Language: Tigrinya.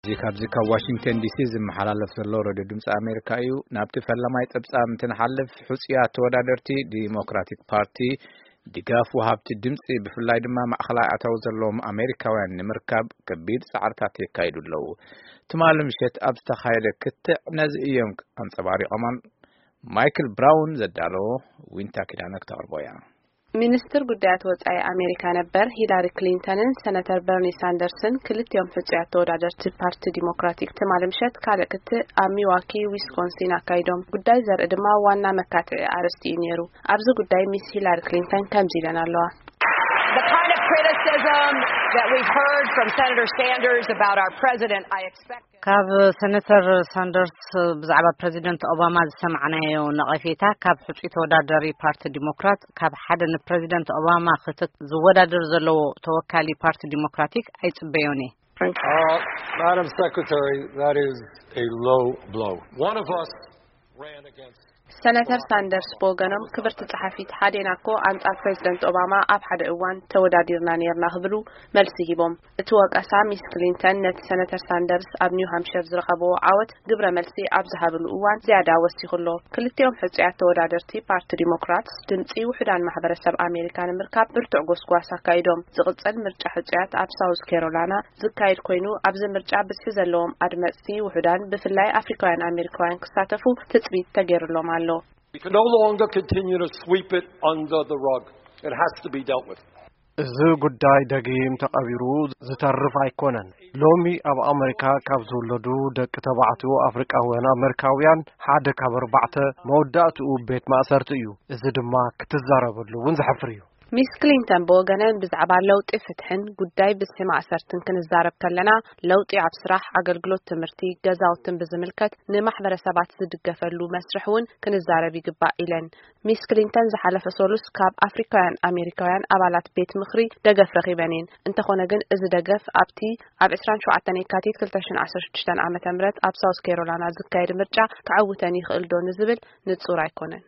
እዚ ካብዚ ካብ ዋሽንግተን ዲሲ ዝመሓላለፍ ዘሎ ሬድዮ ድምፂ ኣሜሪካ እዩ። ናብቲ ፈላማይ ፀብፃብ እንትንሓልፍ፣ ሕፁያት ተወዳደርቲ ዲሞክራቲክ ፓርቲ ድጋፍ ወሃብቲ ድምፂ፣ ብፍላይ ድማ ማእኸላይ ኣታዊ ዘለዎም ኣሜሪካውያን ንምርካብ ከቢድ ፃዕርታት የካይዱ ኣለዉ። ትማሊ ምሸት ኣብ ዝተኻየደ ክትዕ ነዚ እዮም ኣንፀባሪቖም። ማይክል ብራውን ዘዳለዎ፣ ዊንታ ኪዳነ ክተቕርቦ እያ። ሚኒስትር ጉዳያት ወጻኢ ኣሜሪካ ነበር ሂላሪ ክሊንተንን ሰነተር በርኒ ሳንደርስን፣ ክልቲኦም ሕጹያት ተወዳደርቲ ፓርቲ ዲሞክራቲክ፣ ትማሊ ምሸት ካልእ ክትዕ ኣብ ሚዋኪ ዊስኮንሲን ኣካይዶም። ጉዳይ ዘርኢ ድማ ዋና መካትዒ ኣርእስቲ እዩ ነይሩ። ኣብዚ ጉዳይ ሚስ ሂላሪ ክሊንተን ከምዚ ኢለን ኣለዋ። The kind of criticism that we've heard from Senator Sanders about our president, I expect ካብ ሰነተር ሳንደርስ ብዛዕባ ፕረዚደንት ኦባማ ዝሰማዕናዮ ነቐፌታ፣ ካብ ሕጹይ ተወዳዳሪ ፓርቲ ዲሞክራት፣ ካብ ሓደ ንፕረዚደንት ኦባማ ክተት ዝወዳደር ዘለዎ ተወካሊ ፓርቲ ዲሞክራቲክ ኣይጽበዮን እየ። Uh, Madam Secretary, that is a low blow. One of us ran against ሰነተር ሳንደርስ ብወገኖም፣ ክብርቲ ጸሓፊት፣ ሓዴና እኮ ኣንጻር ፕረዚደንት ኦባማ ኣብ ሓደ እዋን ተወዳዲርና ነይርና ክብሉ መልሲ ሂቦም። እቲ ወቀሳ፣ ሚስ ክሊንተን ነቲ ሰነተር ሳንደርስ ኣብ ኒው ሃምፕሸር ዝረኸብዎ ዓወት ግብረ መልሲ ኣብ ዝሃብሉ እዋን ዝያዳ ወሲኹ ኣሎ። ክልቲኦም ሕጹያት ተወዳደርቲ ፓርቲ ዲሞክራትስ፣ ድምጺ ውሑዳን ማሕበረሰብ ኣሜሪካ ንምርካብ ብርቱዕ ጎስጓስ ኣካይዶም። ዝቕጽል ምርጫ ሕጹያት ኣብ ሳውዝ ካሮላይና ዝካየድ ኮይኑ፣ ኣብዚ ምርጫ ብዝሒ ዘለዎም ኣድመጽቲ ውሑዳን፣ ብፍላይ ኣፍሪካውያን ኣሜሪካውያን ክሳተፉ ትጽቢት ተገይሩሎም ኣሎ። We can no longer continue to sweep it under the rug. It has to be dealt with. እዚ ጉዳይ ደጊም ተቐቢሩ ዝተርፍ ኣይኮነን። ሎሚ ኣብ ኣመሪካ ካብ ዝውለዱ ደቂ ተባዕትዮ ኣፍሪቃውያን ኣመሪካውያን፣ ሓደ ካብ ኣርባዕተ፣ መወዳእትኡ ቤት ማእሰርቲ እዩ። እዚ ድማ ክትዛረበሉ እውን ዘሕፍር እዩ። ሚስ ክሊንተን ብወገነን፣ ብዛዕባ ለውጢ ፍትሕን ጉዳይ ብዝሒ ማእሰርትን ክንዛረብ ከለና፣ ለውጢ ኣብ ስራሕ፣ ኣገልግሎት፣ ትምህርቲ፣ ገዛውትን ብዝምልከት ንማሕበረሰባት ዝድገፈሉ መስርሕ እውን ክንዛረብ ይግባእ ኢለን። ሚስ ክሊንተን ዝሓለፈ ሰሉስ ካብ ኣፍሪካውያን ኣሜሪካውያን ኣባላት ቤት ምኽሪ ደገፍ ረኺበን እየን። እንተኾነ ግን፣ እዚ ደገፍ ኣብቲ ኣብ ዕስራን ሸውዓተን የካቲት ክልተ ሽሕን ዓሰርተ ሽዱሽተን ዓመተ ምህረት ኣብ ሳውዝ ካሮላይና ዝካየድ ምርጫ ክዕውተን ይኽእል ዶ ንዝብል ንጹር ኣይኮነን።